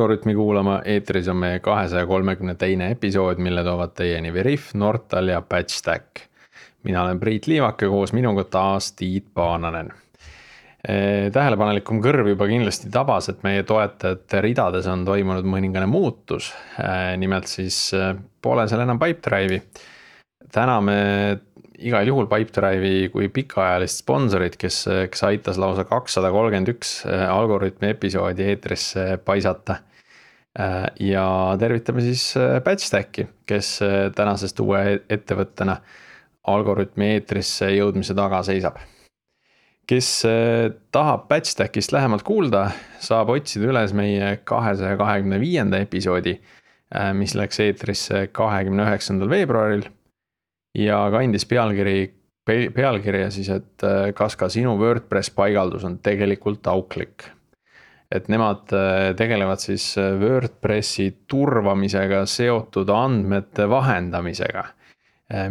Algorütmi kuulama, eetris on meie 232. episood, mille toovad teieni Veriff, Nortal ja Patchstack. Mina olen Priit Liivak ja koos minuga taas Tiit Paananen. Tähelepanelikum kõrv juba kindlasti tabas, et meie toetajate ridades on toimunud mõningane muutus. Nimelt siis pole seal enam Pipedrive'i. Täname igal juhul Pipedrive'i kui pikaajalist sponsorit, kes aitas lausa 231 Algorütmi episoodi eetrisse paisata. Ja tervitame siis Patchstacki, kes tänasest uue ettevõttena Algorütmi eetrisse jõudmise taga seisab. Kes tahab Patchstackist lähemalt kuulda, saab otsida üles meie 225. episoodi, mis läks eetrisse 29. veebruaril. Ja kandis pealkirja siis, et kas ka sinu WordPress paigaldus on tegelikult auklik. Et nemad tegelevad siis WordPressi turvamisega seotud andmete vahendamisega,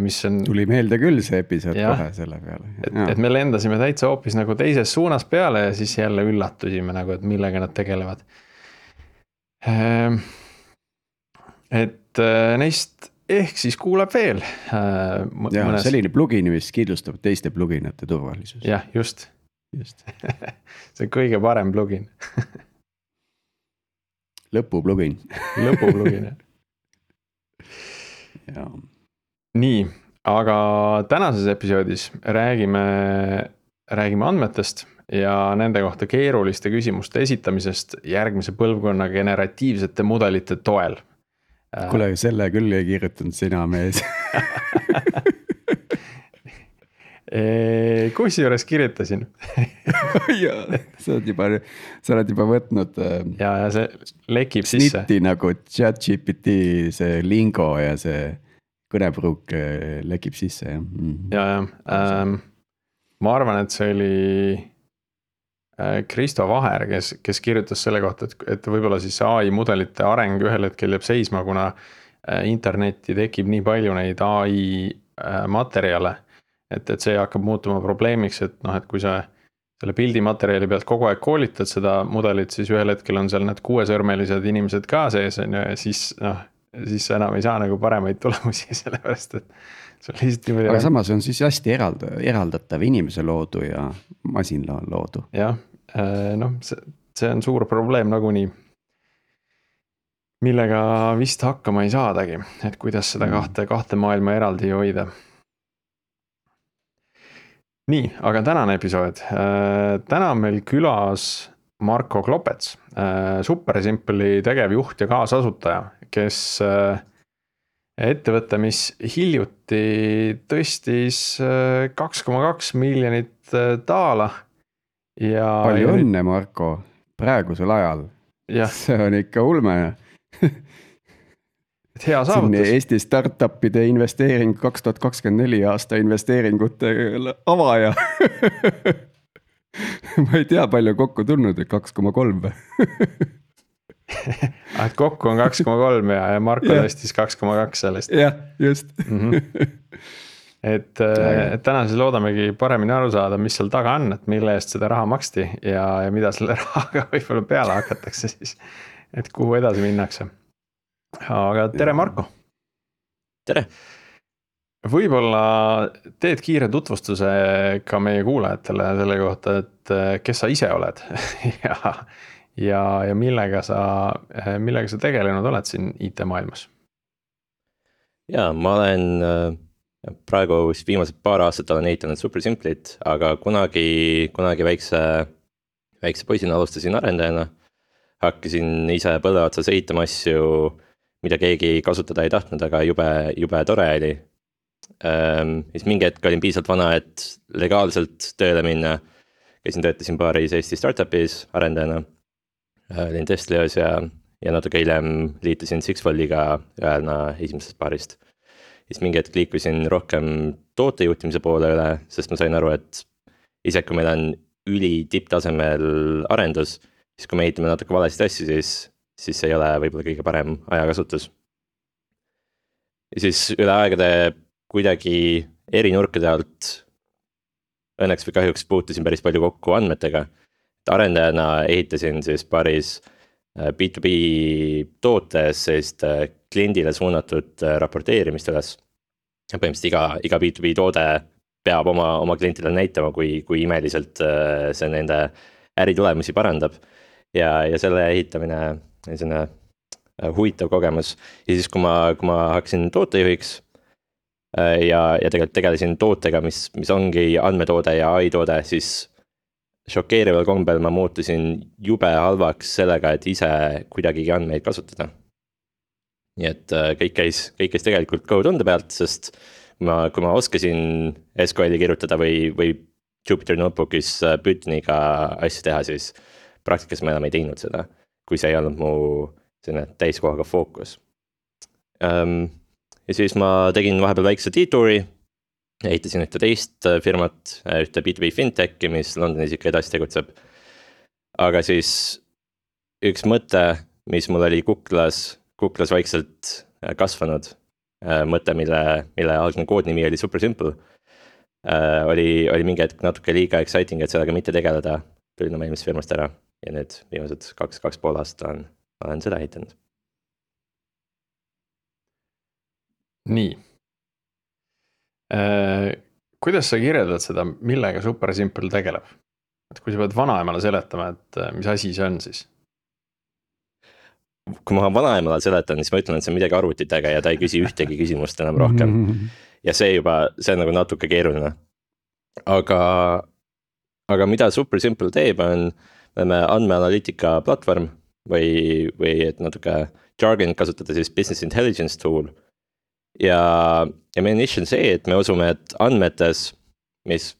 mis on... Tuli meelde küll see episood kohe selle peale. Et me lendasime täitsa hoopis nagu teises suunas peale ja siis jälle üllatusime, nagu, et millega nad tegelevad. Et neist ehk siis kuulab veel. Selline plugin, mis kindlustab teiste pluginate turvalisus. Jah, just. See on kõige parem plugin. Lõpuplugin. Lõpuplugin, jah. Nii, aga tänases episoodis räägime andmetest ja nende kohta keeruliste küsimuste esitamisest järgmise põlvkonna generatiivsete mudelite toel. Kuule, selle küll ei kirjutanud sina, mees. Kus juures kirjutasin? Sa oled juba võtnud ja see lekib sisse. Snitti nagu ChatGPT, see lingo ja see kõnepruuk lekib sisse. Ja. Ma arvan, et see oli Kristo Vaher, kes kirjutas selle kohta, et võib-olla siis AI mudelite areng ühel hetkel jääb seisma, kuna internetti tekib nii palju neid AI materjale, et see hakkab muutuma probleemiks, et kui sa selle pildimaterjali pealt kogu aeg koolitad seda mudelit, siis ühel hetkel on seal need 6-sõrmelised inimesed ka sees, ja siis sa enam ei saa nagu paremaid tulemusi, sellepärast, et aga samas on siis hästi eraldatav inimese loodu ja masinla loodu. Jah, see on suur probleem nagunii, millega vist hakkama ei saadagi, et kuidas seda kahte maailma eraldi hoida. Nii, aga tänane episood. Täna on meil külas Marko Klopets, SuperSimple'i tegevjuht ja kaasasutaja, kes ettevõte, mis hiljuti tõstis 2,2 miljonit daala. Ja palju õnne, Marko, praegusel ajal. Ja. See on ikka ulme. Hea saavutus. Eesti startupide investeering 2024 aasta investeeringute avaja. Ma ei tea, palju kokku tulnud, 2,3. Et kokku on 2,3 ja Marko tõstis 2,2 sellest. Jah, just. Et täna siis loodamegi paremini aru saada, mis seal taga on, et mille eest seda raha maksti ja mida selle rahaga võib-olla peale hakatakse siis, et kuhu edasi minnakse. Aga tere, Marko! Tere! Võib-olla teed kiire tutvustuse ka meie kuulajatele selle kohta, et kes sa ise oled ja millega sa tegelenud oled siin IT-maailmas? Ja, ma olen praegu viimased paar aastat olen ehitanud SuperSimple'it, aga kunagi väikse poisina alustasin arendajana. Hakkasin ise põlve otsas ehitama asju, mida keegi kasutada ei tahtnud, aga jube tore oli. Siis mingi hetk olin piisavalt vana, et legaalselt tööle minna. Töötasin paaris Eesti startupis arendajana. Olin Teslios ja natuke hiljem liitusin Sixfoldiga ühena esimesest paarist. Siis mingi hetk liikusin rohkem tootejuhtimise poole üle, sest ma sain aru, et ise kui meil on üli tipptasemel arendus, siis kui me ehitame natuke valesid asju, siis see ei ole võib-olla kõige parem ajakasutus. Ja siis üle aegade kuidagi eri nurkade alt õnneks või kahjuks puutusin päris palju kokku andmetega. Arendajana ehitasin siis paaris B2B tootes sellist kliendile suunatud raporteerimist üles. Põhimõtteliselt iga B2B toode peab oma klientidele näitama, kui imeliselt see nende äritulemusi parandab. Ja selle ehitamine on selline huvitav kogemus. Ja siis, kui ma hakkasin tootejuhiks ja tegelikult tegelesin tootega, mis ongi andmetoode ja AI toode, siis šokeerival kombel ma muutusin jube halvaks sellega, et ise kuidagigi andmeid kasutada. Nii et kõik käis tegelikult Go-tunde pealt, sest kui ma oskasin SQL-i kirjutada või Jupyter Notebookis Pythoniga asju teha, siis praktikas ma enam ei teinud seda, kui see ei olnud mu selline täiskohaga fookus. Ja siis ma tegin vahepeal väikse detouri, ehitasin ühte teist firmat, ühte B2B fintech'i, mis Londonis ikka edasi tegutseb. Aga siis üks mõte, mis mul oli kuklas vaikselt kasvanud, mõte, mille algne koodnimi oli super simple, oli mingi hetk natuke liiga exciting, et sellega mitte tegeleda, tulin oma eelmisest firmast ära ja nüüd viimased 2,5 aastat olen seda ehitanud. Nii. Kuidas sa kirjeldad seda, millega Super Simple tegeleb? Et kui sa pead vanaemale seletama, et mis asi see on siis? Kui ma vanaemale seletan, siis ma ütlen, et see on midagi arvutitega ja ta ei küsi ühtegi küsimust enam rohkem. Ja see on nagu natuke keeruline. Aga mida Super Simple teeb, on andmeanalüütika platvorm või et natuke jargon kasutada siis business intelligence tool. Ja meie niche on see, et me usume, et andmetes, mis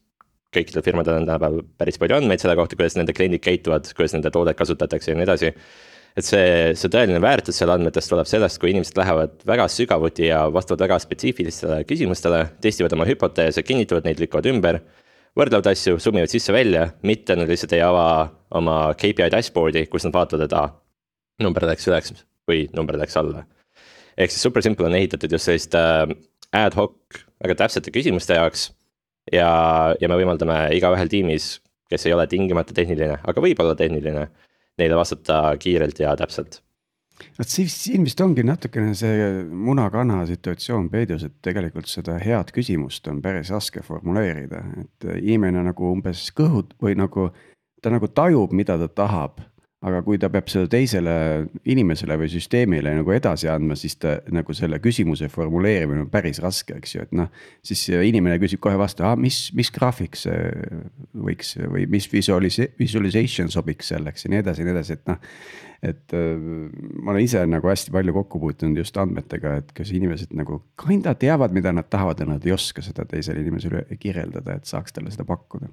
kõikidel firmadel on tänapäeval päris palju andmeid selle kohta, kuidas nende kliendid käituvad, kuidas nende toodet kasutatakse ja nii edasi. Et see tõeline väärtus selle andmetest tuleb sellest, kui inimesed lähevad väga sügavuti ja vastavad väga spetsiifilistele küsimustele, testivad oma hüpoteese, kinnitavad neid, lükkavad ümber, võrdlevad asju, summivad sisse välja, mitte nad lihtsalt ei ava oma KPI dashboardi, kus nad vaatavad, et number läks üleks või number läks alla. Ehk siis Super Simple on ehitatud just sellist ad hoc väga täpsete küsimuste jaoks ja me võimaldame igaühel tiimis, kes ei ole tingimata tehniline, aga võib olla tehniline, neile vastata kiirelt ja täpselt. Siin vist ongi natukene see muna-kana situatsioon peidus, et tegelikult seda head küsimust on päris raske formuleerida, et inimene nagu umbes kõhud või nagu ta nagu tajub, mida ta tahab. Aga kui ta peab selle teisele inimesele või süsteemile nagu edasi andma, siis ta nagu selle küsimuse formuleerimine on päris raske, eks ju, et siis inimene küsib kohe vastu, mis graafik see võiks või mis visualization sobiks selleks ja nii edasi, et ma olen ise nagu hästi palju kokku puutunud just andmetega, et kas inimesed nagu kinda teavad, mida nad tahavad ja nad ei oska seda teisele inimesele kirjeldada, et saaks talle seda pakkuda.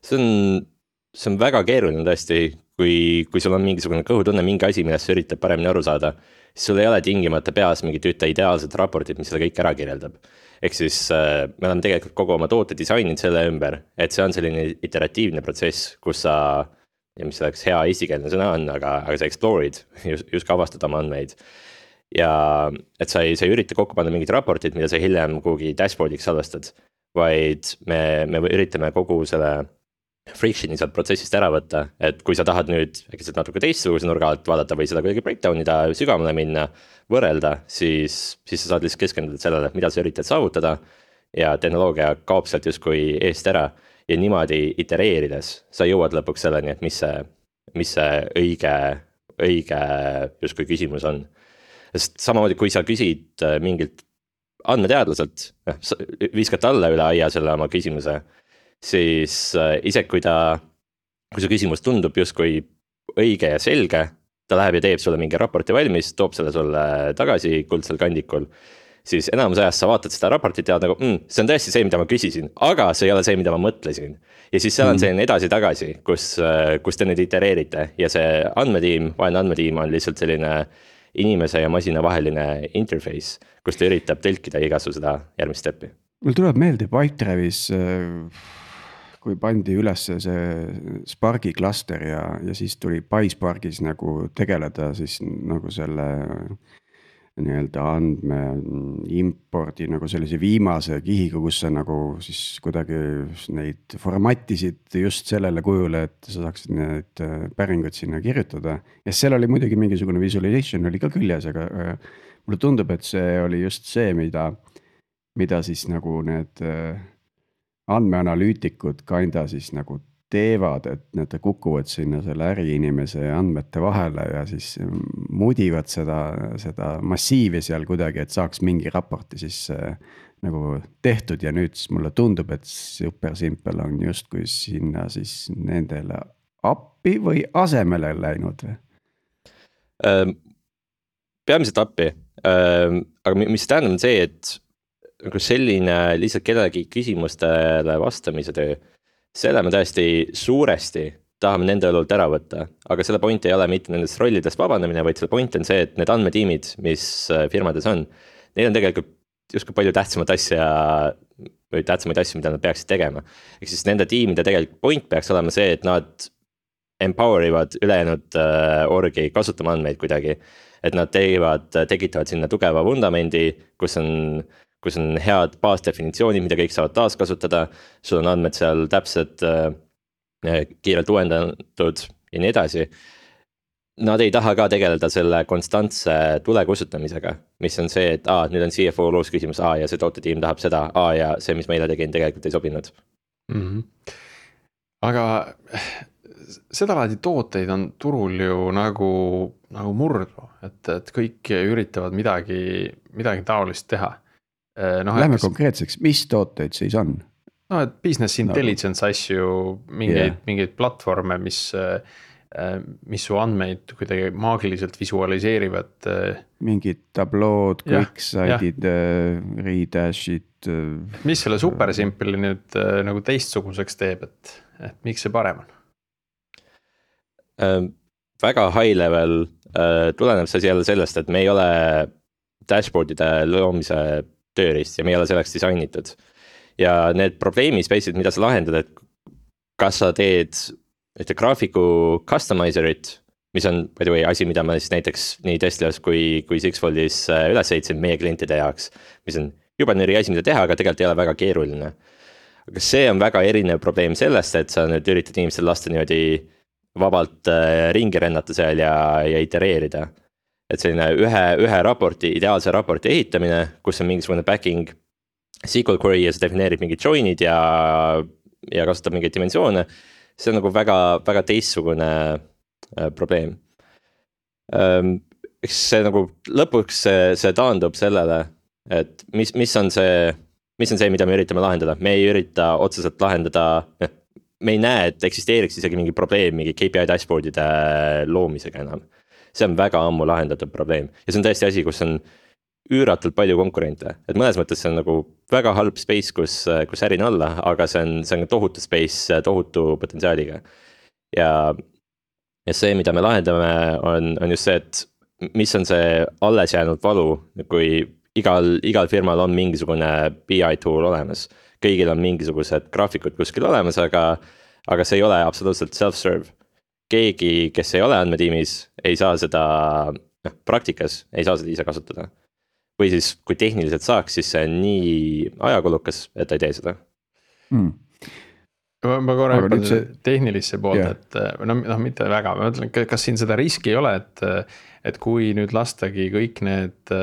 See on väga keeruline tõesti, kui sul on mingisugune kõhutunne, mingi asi, millest sa üritab paremini aru saada, siis sul ei ole tingimata peas mingit ühte ideaalset raportit, mis seda kõik ära kirjeldab. Ehk siis me oleme tegelikult kogu oma toote disaininud selle ümber, et see on selline iteratiivne protsess, kus sa, ja mis oleks hea eestikeelne sõna on, aga sa explore'id, just avastad oma andmeid. Ja et sa ei ürita kokku panna mingit raportit, mida sa hiljem kuhugi dashboardiks salvestad, vaid me üritame kogu selle friction'i sealt protsessist ära võtta, et kui sa tahad nüüd äkki natuke teistsuguse nurga alt vaadata või seda kuidagi breakdown'ida, sügavale minna, võrrelda, siis sa saad lihtsalt keskenduda sellele, mida sa üritad saavutada ja tehnoloogia kaob sealt justkui eest ära ja niimoodi itereerides sa jõuad lõpuks selleni, et mis see õige justkui küsimus on. Sest samamoodi, kui sa küsid mingilt andmeteadlaselt, viskad talle üle aia selle oma küsimuse, siis ise kui see küsimus tundub justkui õige ja selge, ta läheb ja teeb sulle mingi raporti valmis, toob selle sulle tagasi kuldsel kandikul, siis enamus ajast sa vaatad seda raportit ja nagu, see on tõesti see, mida ma küsisin, aga see ei ole see, mida ma mõtlesin. Ja siis seal on selline edasi-tagasi, kus te nüüd itereerite ja see vaheline andmetiim on lihtsalt selline inimese ja masina vaheline interface, kus ta üritab tõlkida igasu seda järgmist steppi. Mul tuleb meelde Pipedrive'is, kui pandi üles see Sparki klaster ja siis tuli PySparkis nagu tegeleda siis nagu selle nii-öelda andme impordi nagu sellise viimase kihiga, kus sa nagu siis kuidagi neid formattisid just sellele kujule, et sa saaksid need päringuid sinna kirjutada. Ja seal oli muidugi mingisugune visualization oli ka küljes, aga mulle tundub, et see oli just see, mida siis nagu need andmeanalüütikud kinda siis nagu teevad, et nad kukuvad sinna selle äriinimese andmete vahele ja siis mudivad seda massiivi seal kuidagi, et saaks mingi raporti siis nagu tehtud ja nüüd siis mulle tundub, et Super Simple on justkui sinna siis nendele appi või asemele läinud või? Peamiselt appi, aga mis tähendab on see, et nagu selline lihtsalt kellegi küsimustele vastamise töö, selle me tõesti suuresti tahame nende õlult ära võtta, aga selle point ei ole mitte nendest rollidest vabanemine, vaid selle point on see, et need andmetiimid, mis firmades on, neil on tegelikult justkui palju tähtsamaid asju, mida nad peaksid tegema. Ehk siis nende tiimide tegelikult point peaks olema see, et nad empower ivad ülejäänud orgi kasutama andmeid kuidagi. Et nad tekitavad sinna tugeva vundamendi, kus on head baasdefinitsioonid, mida kõik saavad taaskasutada, sul on andmed seal täpselt kiirelt uuendatud ja nii edasi. Nad ei taha ka tegeleda selle konstantse tule kustutamisega, mis on see, et nüüd on CFO loos küsimus, ja see tootetiim tahab seda, ja see, mis ma eile tegin, tegelikult ei sobinud. Aga seda laadi tooteid on turul ju nagu murdu, et kõik üritavad midagi taolist teha. Lähme konkreetseks, mis tooteid siis on? Et business intelligence asju, mingeid platvorme, mis su andmeid kuidagi maagiliselt visualiseerivad. Mingid tablood, QuickSide'id, Redash'id. Mis selle Super Simple'i nüüd nagu teistsuguseks teeb, et miks see parem on? Väga high level tuleneb see jälle sellest, et me ei ole dashboardide loomise tööriist ja me ei ole selleks disainitud. Ja need probleemi space'id, mida sa lahendad, et kas sa teed graafiku customizerit, mis on by the way asi, mida ma siis näiteks nii Teslas kui Sixfoldis üles ehitasin meie klientide jaoks, mis on juba neri asi, mida teha, aga tegelikult ei ole väga keeruline. Aga see on väga erinev probleem sellest, et sa nüüd üritad inimestel lasta niimoodi vabalt ringi rennata seal ja itereerida. Et selline ühe raporti, ideaalse raporti ehitamine, kus on mingisugune backing SQL query ja see defineerib mingid join'id ja kasutab mingeid dimensioone. See on nagu väga, väga teistsugune probleem. Eks see nagu lõpuks see taandub sellele, et mis on see, mida me üritame lahendada. Me ei ürita otseselt lahendada, me ei näe, et eksisteeriks isegi mingi probleem, mingi KPI dashboardide loomisega enam. See on väga ammu lahendatud probleem ja see on tõesti asi, kus on üüratult palju konkurente, et mõnes mõttes see on nagu väga halb space, kus ärin olla, aga see on tohutu space, tohutu potentsiaaliga. Ja see, mida me lahendame, on just see, et mis on see alles jäänud valu, kui igal firmal on mingisugune BI tool olemas. Kõigil on mingisugused graafikud kuskil olemas, aga see ei ole absoluutselt self-serve. Keegi, kes ei ole andmetiimis, ei saa seda praktikas, ei saa seda ise kasutada. Või siis, kui tehniliselt saaks, siis see on nii ajakulukas, et ta ei tee seda. Ma korra hüppan tehnilisse poolt, et mitte väga, ma mõtlen, kas siin seda riski ei ole, et kui nüüd lastagi kõik need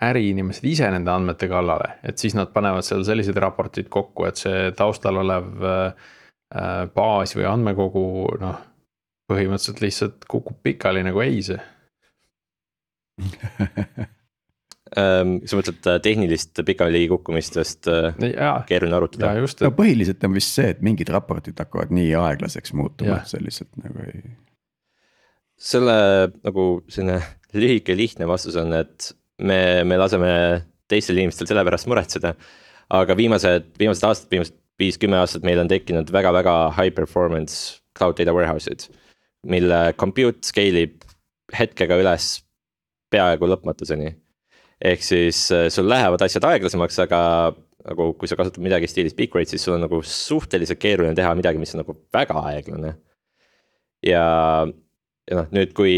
äriinimesed ise nende andmete kallale, et siis nad panevad seal sellised raportid kokku, et see taustal olev baas või andmekogu, põhimõtteliselt lihtsalt kukub pikali nagu eise. Sa mõtled tehnilist pikali kukkumist vast keeruline arutada. Põhiliselt on vist see, et mingid raportid hakkavad nii aeglaseks muutuma, et see lihtsalt nagu ei. Selle nagu selline lühike lihtne vastus on, et me laseme teistel inimestel selle pärast muretseda, aga viimased aastad, viimased 5-10 aastat meil on tekkinud väga-väga high performance cloud data warehouse'id, mille compute scale'ib hetkega üles peaaegu lõpmatuseni. Ehk siis sul lähevad asjad aeglasemaks, aga nagu kui sa kasutad midagi stiilis peak rate, siis sul on nagu suhteliselt keeruline teha midagi, mis on nagu väga aeglane. Ja nüüd, kui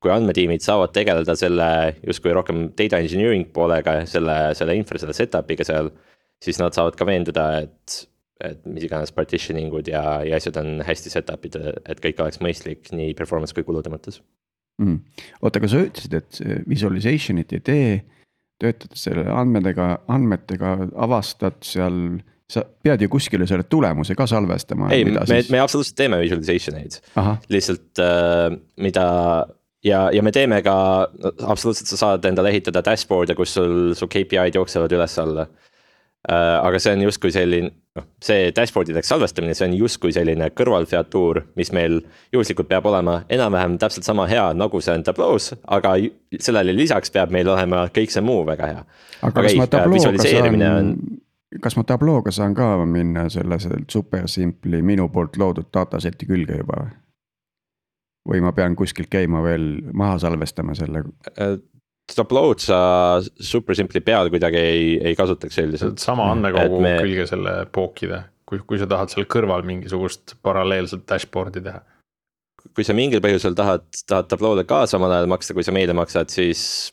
kui andmetiimid saavad tegeleda selle justkui rohkem data engineering poolega, selle infra, selle setup'iga seal, siis nad saavad ka veenduda, et mis iganes partitioningud ja asjad on hästi setup'id, et kõik oleks mõistlik nii performance kui kulude mõttes. Oota, aga sa ütlesid, et visualization'it ei tee, töötad selle andmetega, avastad seal, sa pead ju kuskile selle tulemuse ka salvestama. Ei, me absoluutselt teeme visualization eid, lihtsalt mida ja me teeme ka, absoluutselt sa saad endale ehitada dashboard'e, kus sul KPI-d jooksevad üles alla. Aga see on justkui selline, see dashboard'ideks salvestamine, see on justkui selline kõrvalfeatuur, mis meil juhuslikult peab olema enam-vähem täpselt sama hea, nagu see on Tableau's, aga sellele lisaks peab meil olema kõik see muu väga hea. Kas ma Tablooga saan ka minna selle super simpli minu poolt loodud dataseti külge juba? Või ma pean kuskilt käima veel maha salvestama selle? Tableau'd sa super simpli peal kuidagi ei kasutaks selliselt. Sama andmekogu külge selle pookida, kui sa tahad seal kõrval mingisugust paralleelselt dashboard'i teha. Kui sa mingil põhjusel tahad Tableau'le ka samal ajal maksta, kui sa meile maksad, siis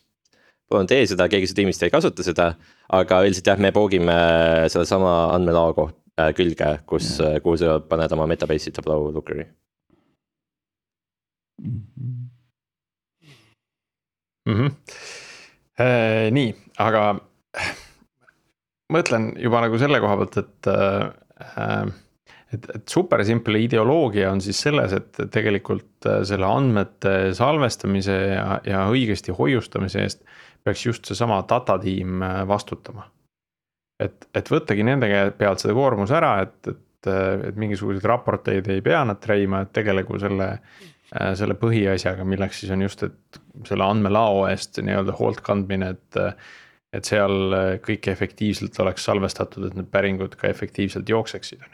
palun tee seda, keegi su tiimist ei kasuta seda, aga üldiselt jah, me poogime selle sama andmelao külge, kuhu sa paned oma metabase'i Tableau Lookeri. Nii, aga mõtlen juba nagu selle koha pealt, et super simple ideoloogia on siis selles, et tegelikult selle andmete salvestamise ja õigesti hoiustamise eest peaks just see sama data tiim vastutama. Et võttagi nende pealt seda koormus ära, et mingisuguseid raporteid ei pea nad treima, et tegelegu selle põhiasjaga, milleks siis on just, et selle andmelao eest nii-öelda hoolt kandmine, et seal kõik efektiivselt oleks salvestatud, et need päringud ka efektiivselt jookseksid.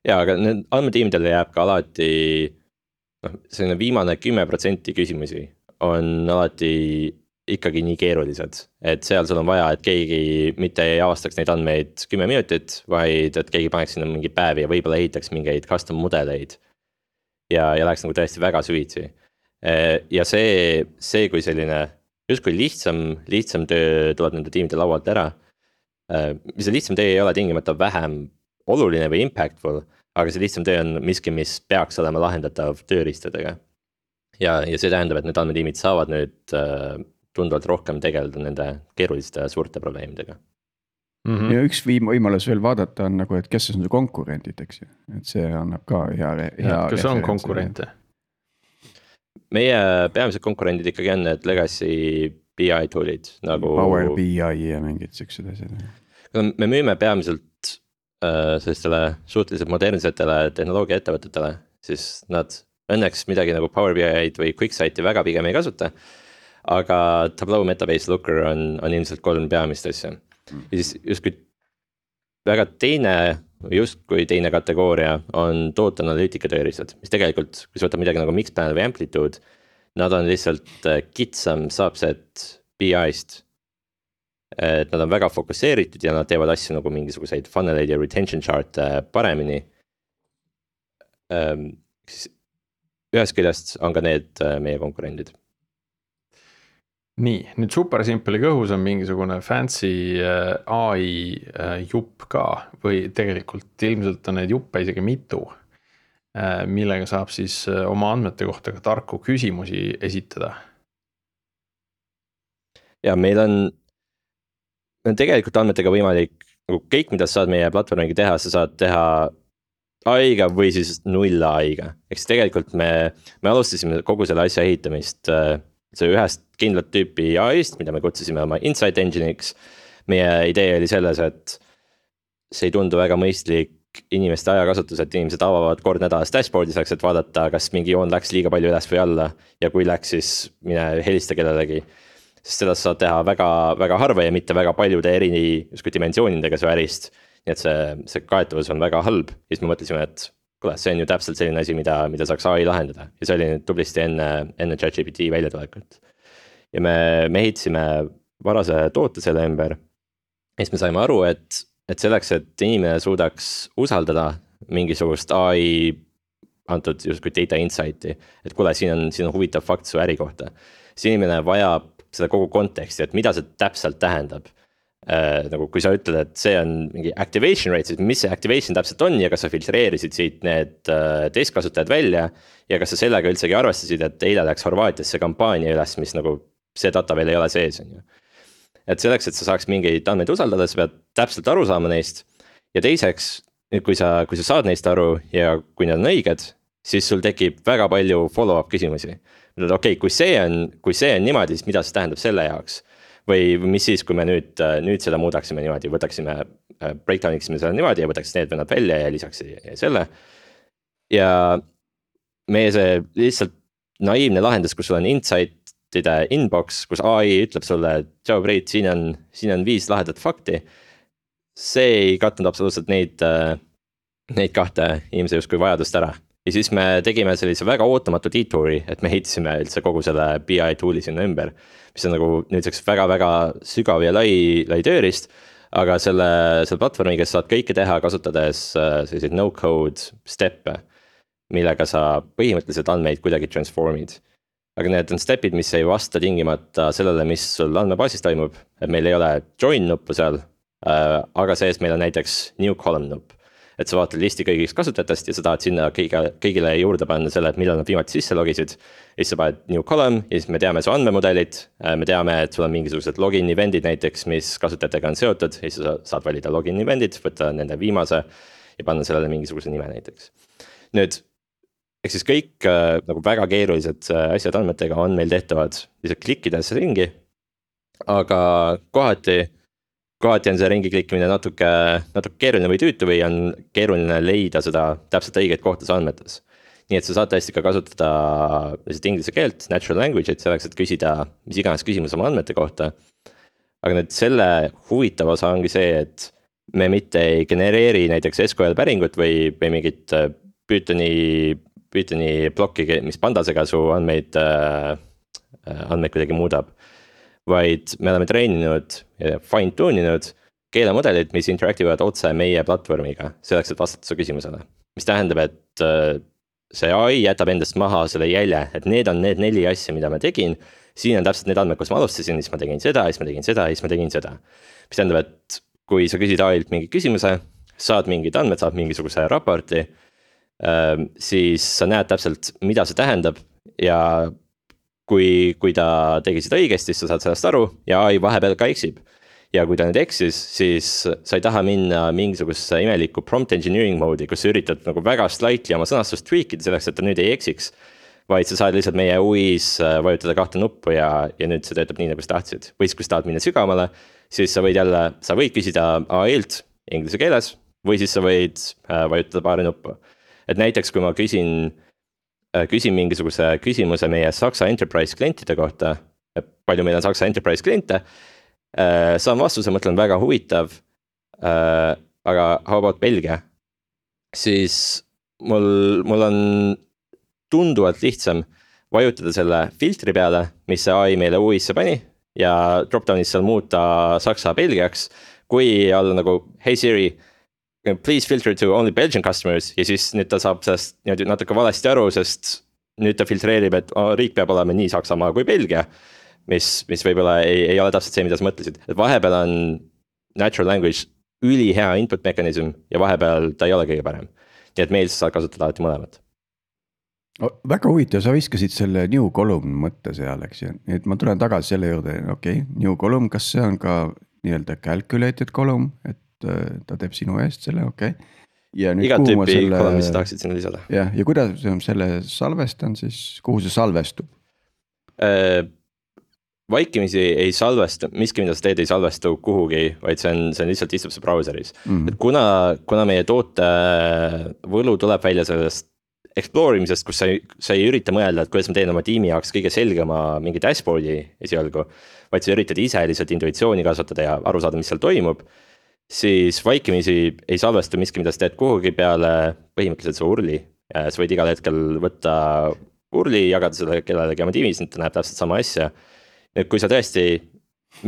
Ja, aga need andmetiimidele jääb ka alati, selline viimane 10% küsimusi on alati ikkagi nii keerulised, et seal sul on vaja, et keegi mitte ei avastaks neid andmeid 10 minutit, vaid et keegi paneks sinna mingi päevi ja võib-olla ehitaks mingeid custom mudeleid ja läheks nagu tõesti väga süvitsi. Ja see kui selline justkui lihtsam töö tuleb nende tiimide laualt ära, mis see lihtsam töö ei ole tingimata vähem oluline või impactful, aga see lihtsam töö on miski, mis peaks olema lahendatav tööriistadega. Ja see tähendab, et need andmetiimid saavad nüüd tunduvalt rohkem tegeleda nende keeruliste suurte probleemidega. Ja üks võimalus veel vaadata on nagu, et kes on su konkurendid, eks ju, et see annab ka hea kas on konkurente? Meie peamised konkurendid ikkagi on need legacy BI toolid nagu Power BI ja mingid siuksed asjad. Me müüme peamiselt sellistele suhteliselt modernsetele tehnoloogia ettevõtetele, siis nad õnneks midagi nagu Power BI-d või QuickSight'i väga pigem ei kasuta, aga Tableau Metabase Looker on ilmselt 3 peamist asja. Ja siis justkui väga teine kategooria on tooteanalüütika tööriistad, mis tegelikult, kui sa võtad midagi nagu Mixpanel või Amplitude, nad on lihtsalt kitsam subset BI-st. Et nad on väga fokusseeritud ja nad teevad asju nagu mingisuguseid funneleid ja retention chart paremini. Ühest küljest on ka need meie konkurendid. Nii, nüüd super simple kõhus on mingisugune fancy AI jupp ka või tegelikult ilmselt on neid juppe isegi mitu, millega saab siis oma andmete kohta ka tarku küsimusi esitada. Ja meil on tegelikult andmetega võimalik, nagu kõik, mida sa saad meie platvormiga teha, sa saad teha AI-ga või siis 0 AI-ga. Eks tegelikult me alustasime kogu selle asja ehitamist see ühest kindlat tüüpi AI-st, mida me kutsusime oma Insight Engine'iks. Meie idee oli selles, et see ei tundu väga mõistlik inimeste ajakasutus, et inimesed avavad kord nädalas dashboard'i selleks, et vaadata, kas mingi joon läks liiga palju üles või alla ja kui läks, siis mine helista kellelegi. Sest seda saad teha väga, väga harva ja mitte väga paljude dimensioonidega su ärist. Nii et see kaetavus on väga halb. Ja siis me mõtlesime, et kuule, see on ju täpselt selline asi, mida saaks AI lahendada. Ja see oli nüüd tublisti enne ChatGPT väljatulekut. Ja me ehitasime varase toote selle ümber. Ja siis me saime aru, et selleks, et inimene suudaks usaldada mingisugust antud justkui data insight'i, et kuule, siin on huvitav fakt su äri kohta. siis inimene vajab seda kogu konteksti, et mida see täpselt tähendab. Nagu kui sa ütled, et see on mingi activation rate, siis mis see activation täpselt on ja kas sa filtreerisid siit need testkasutajad välja ja kas sa sellega üldsegi arvestasid, et eile läks Horvaatiasse kampaania üles, mis nagu see data veel ei ole sees, on ju. Et selleks, et sa saaks mingeid andmeid usaldada, sa pead täpselt aru saama neist. Ja teiseks, kui sa saad neist aru ja kui need on õiged, siis sul tekib väga palju follow-up küsimusi. Okei, kui see on niimoodi, siis mida see tähendab selle jaoks? Või mis siis, kui me nüüd seda muudaksime niimoodi, võtaksime, breakdowniksime selle niimoodi ja võtaks need vennad välja ja lisaks selle. Ja meie see lihtsalt naiivne lahendus, kus sul on insight'ide inbox, kus AI ütleb sulle, tšau Priit, siin on 5 lahedat fakti. See ei katnud absoluutselt neid 2 inimese justkui vajadust ära. Ja siis me tegime sellise väga ootamatu detouri, et me heitisime üldse kogu selle BI tool'i sinna ümber, mis on nagu nüüdseks väga-väga sügav ja lai tööriist, aga selle platvormiga saad kõike teha, kasutades selliseid no-code step'e, millega sa põhimõtteliselt andmeid kuidagi transformid. Aga need on step'id, mis ei vasta tingimata sellele, mis sul andmebaasis toimub, et meil ei ole join nuppu seal, aga sees meil on näiteks new column nupp. Et sa vaatad listi kõigist kasutajatest ja sa tahad sinna kõigile juurde panna selle, et millal nad viimati sisse logisid. Ja siis sa paned new column ja siis me teame su andmemudelid, me teame, et sul on mingisugused login event'id näiteks, mis kasutajatega on seotud. Ja siis sa saad valida login event'id, võtta nende viimase ja panna sellele mingisuguse nime näiteks. Nüüd, ehk siis kõik nagu väga keerulised asjad andmetega on meil tehtavad lihtsalt klikkides ringi, aga kohati on see ringi klikkimine natuke keeruline või tüütu või on keeruline leida seda täpselt õiget kohta andmetes. Nii et sa saad tõesti ka kasutada inglise keelt, natural language, et selleks, et küsida mis iganes küsimus oma andmete kohta. Aga nüüd selle huvitav osa ongi see, et me mitte ei genereeri näiteks SQL päringut või mingit Pythoni plokki, mis pandasega su andmeid kuidagi muudab. Vaid me oleme treeninud ja fine-tune inud keelemudelid, mis interaktiivad otse meie platvormiga, selleks, et vastata su küsimusele. Mis tähendab, et see AI jätab endast maha selle jälje, et need on need 4 asja, mida ma tegin. Siin on täpselt need andmed, kus ma alustasin, siis ma tegin seda, siis ma tegin seda, siis ma tegin seda. Mis tähendab, et kui sa küsid AI-lt mingi küsimuse, saad mingid andmed, saad mingisuguse raporti, siis sa näed täpselt, mida see tähendab ja kui ta tegi seda õigesti, siis sa saad sellest aru ja AI vahepeal ka eksib. Ja kui ta nüüd eksis, siis sa ei taha minna mingisuguse imeliku prompt engineering mode'i, kus sa üritad nagu väga slightly oma sõnastust tweakida selleks, et ta nüüd ei eksiks. Vaid sa saad lihtsalt meie UI's vajutada 2 nuppu ja nüüd see töötab nii, nagu sa tahtsid. Või kui sa tahad minna sügavale, siis sa võid küsida AI-lt inglise keeles või siis sa võid vajutada 2 nuppu. Et näiteks kui ma küsin mingisuguse küsimuse meie Saksa enterprise klientide kohta, palju meil on Saksa enterprise kliente, saan vastuse, mõtlen väga huvitav, aga how about Belgia, siis mul on tunduvalt lihtsam vajutada selle filtri peale, mis see AI meile UI'sse pani ja dropdownis seal muuta Saksa Belgiaks, kui olla nagu hey Siri, please filter to only Belgian customers ja siis nüüd ta saab sellest natuke valesti aru, sest nüüd ta filtreerib, et riik peab olema nii Saksamaa kui Belgia, mis võib-olla ei ole täpselt see, mida sa mõtlesid. Et vahepeal on natural language üli hea input mekanism ja vahepeal ta ei ole kõige parem. Nii et meil saad kasutada alati mõlemat. Väga huvitav, sa viskasid selle new column mõtte seal, eks ju. Nii et ma tulen tagasi selle juurde, okei, new column, kas see on ka nii-öelda calculated column, et ta teeb sinu eest selle, okei. Igat tüüpi column, mis sa tahaksid sinna lisada. Ja kuidas selle salvestan siis, kuhu see salvestub? Vaikimisi ei salvestu, miski mida sa teed ei salvestu kuhugi, vaid see on lihtsalt istub see browseris. Et kuna meie toote võlu tuleb välja sellest explorimisest, kus sa ei ürita mõelda, et kuidas ma teen oma tiimi jaoks kõige selgema mingi dashboardi esialgu, vaid sa üritad ise lihtsalt intuitsiooni kasvatada ja aru saada, mis seal toimub, siis vaikimisi ei salvestu miski, mida sa teed kuhugi peale põhimõtteliselt su urli. Sa võid igal hetkel võtta urli, jagada selle kellelegi oma tiimis, ta näeb täpselt sama asja. Kui sa tõesti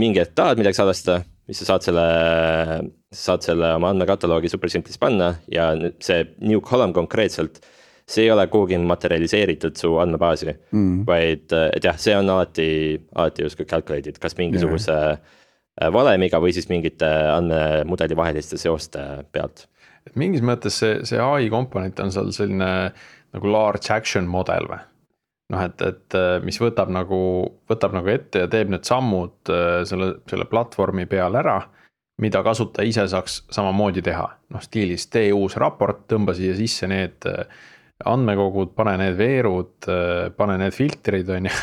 mingi hetk tahad midagi salvestada, siis sa saad selle oma andmekataloogi super simplis panna ja see new column konkreetselt see ei ole kuhugi materialiseeritud su andmebaasi vaid et jah, see on alati justkui calculated, kas mingisuguse valemiga või siis mingite andmemudeli vaheliste seoste pealt. Et mingis mõttes see AI komponent on seal selline nagu large action model või? Noh, et mis võtab nagu ette ja teeb need sammud selle platvormi peal ära, mida kasutaja ise saaks samamoodi teha. Noh, stiilis tee uus raport, tõmba siia sisse need andmekogud, pane need veerud, pane need filtrid on ju.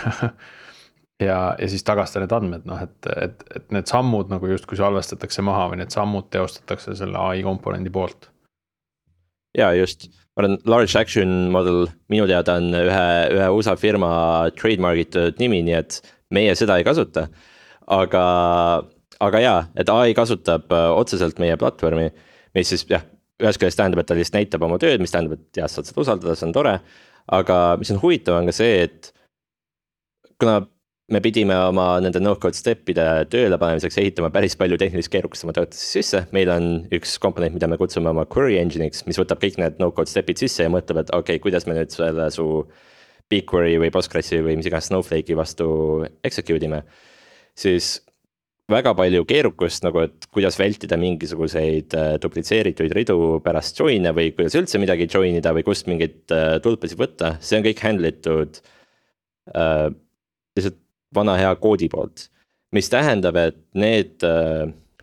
ja siis tagasta need andmed, noh, et need sammud nagu justkui salvestatakse maha või need sammud teostatakse selle AI komponendi poolt. Ja just, ma olen large action model, minu teada on ühe USA firma trademargitud nimi, nii et meie seda ei kasuta. Aga jaa, et AI kasutab otseselt meie platvormi, mis siis jah, ühest küljest tähendab, et ta lihtsalt näitab oma tööd, mis tähendab, et jah, saad seda usaldada, see on tore. Aga mis on huvitav on ka see, et kuna me pidime oma nende no-code step'ide tööle panemiseks ehitama päris palju tehnilist keerukust oma töötesse sisse. Meil on üks komponent, mida me kutsume oma query engine'iks, mis võtab kõik need no-code step'id sisse ja mõtleb, et okei, kuidas me nüüd selle su BigQuery või Postgresi või mis iganes Snowflake'i vastu execute ime. Siis väga palju keerukust nagu, et kuidas vältida mingisuguseid duplitseeritud ridu pärast join'e või kuidas üldse midagi join'ida või kust mingit tulpasid võtta. See on kõik handlitud lihtsalt vana hea koodi poolt, mis tähendab, et need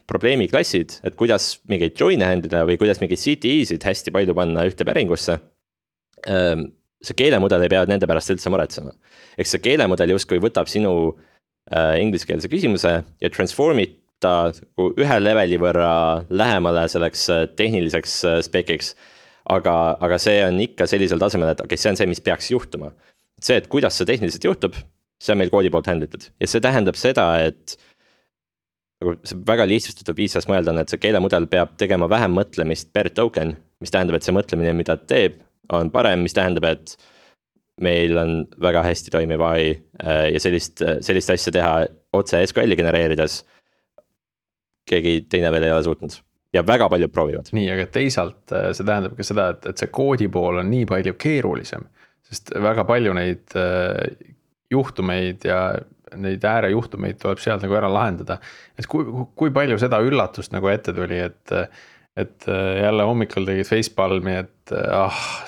probleemi klassid, et kuidas mingeid join'e handlida või kuidas mingeid CTE-sid hästi palju panna ühte päringusse, see keelemudel ei pea nende pärast üldse muretsema. Eks see keelemudel justkui võtab sinu ingliskeelse küsimuse ja transformib ta ühe leveli võrra lähemale selleks tehniliseks spekiks, aga see on ikka sellisel tasemel, et okei, see on see, mis peaks juhtuma. See, et kuidas see tehniliselt juhtub, see on meil koodi poolt handlitud ja see tähendab seda, et see väga lihtsustatud viis saaks mõelda on, et see keelemudel peab tegema vähem mõtlemist per token, mis tähendab, et see mõtlemine, mida teeb, on parem, mis tähendab, et meil on väga hästi toimiv AI ja sellist asja teha otse SQL-i genereerides keegi teine veel ei ole suutnud ja väga paljud proovivad. Nii, aga teisalt see tähendab ka seda, et see koodi pool on nii palju keerulisem, sest väga palju neid juhtumeid ja neid äärejuhtumeid tuleb sealt nagu ära lahendada. Et kui palju seda üllatust nagu ette tuli, et jälle hommikul tegid facepalmi, et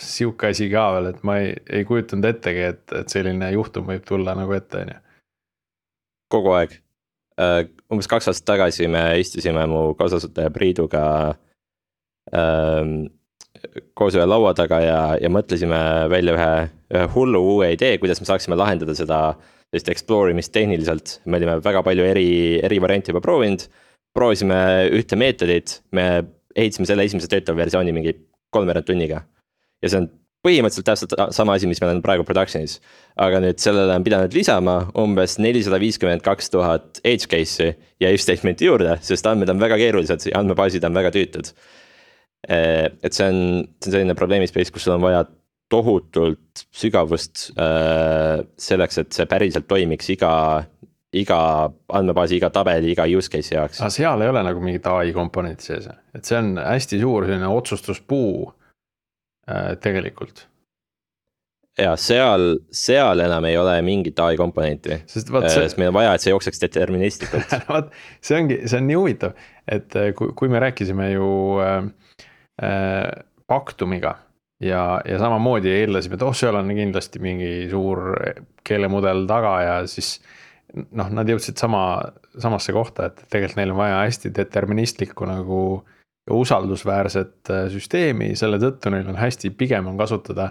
siuke asi ka veel, et ma ei kujutanud ettegi, et selline juhtum võib tulla nagu ette. Kogu aeg. Umbes 2 aastat tagasi me istusime mu kaasasutaja Priiduga koos ühe laua taga ja mõtlesime välja ühe hullu uue idee, kuidas me saaksime lahendada seda explore'imist tehniliselt. Me olime väga palju eri varianti juba proovisime ühte meetodit, me ehitasime selle esimese töötava versiooni mingi 3 tunniga. Ja see on põhimõtteliselt täpselt sama asi, mis meil on praegu production'is. Aga nüüd sellele on pidanud lisama umbes 452,000 edge case'i ja if statement'i juurde, sest andmed on väga keerulised ja andmebaasid on väga tüütud. Et see on selline probleemispace, kus sul on vaja tohutult sügavust selleks, et see päriselt toimiks iga andmebaasi, iga tabeli, iga use case jaoks. Aga seal ei ole nagu mingit AI komponenti sees, et see on hästi suur selline otsustuspuu tegelikult. Ja seal enam ei ole mingit AI komponenti, sest meil on vaja, et see jookseks deterministlikult. See on nii huvitav, et kui me rääkisime ju Paktumiga ja samamoodi eeldasime, et seal on kindlasti mingi suur keelemudel taga ja siis nad jõudsid samasse kohta, et tegelikult neil on vaja hästi deterministlikku nagu usaldusväärset süsteemi, selle tõttu neil on hästi pigem on kasutada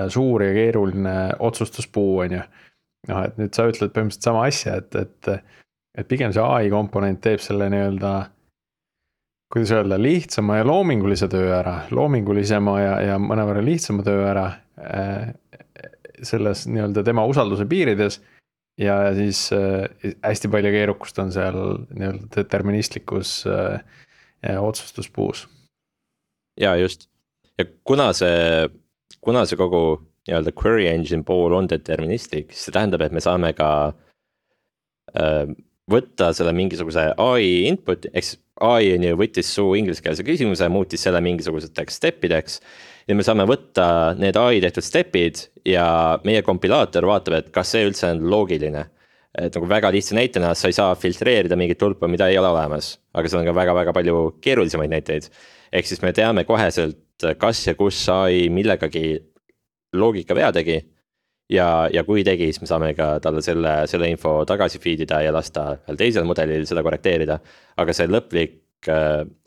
suur ja keeruline otsustuspuu on ju. Et nüüd sa ütled põhimõtteliselt sama asja, et pigem see AI komponent teeb selle nii-öelda, kuidas öelda, lihtsama ja loomingulisema ja mõnevõrra lihtsama töö ära selles nii-öelda tema usalduse piirides ja siis hästi palju keerukust on seal nii-öelda deterministlikus otsustuspuus. Ja just. Ja kuna see kogu nii-öelda query engine pool on deterministlik, siis see tähendab, et me saame ka võtta selle mingisuguse AI input, eks AI on ju võttis su ingliskeelse küsimuse, muutis selle mingisuguseteks stepideks. Ja me saame võtta need AI tehtud stepid ja meie kompilaator vaatab, et kas see üldse on loogiline. Et nagu väga lihtsa näitena sa ei saa filtreerida mingit tulpa, mida ei ole olemas, aga seal on ka väga-väga palju keerulisemaid näiteid. Ehk siis me teame koheselt, kas ja kus AI millegagi loogika vea tegi. Ja kui tegi, siis me saame ka talle selle info tagasi feedida ja lasta veel teisel mudelil seda korrekteerida. Aga see lõplik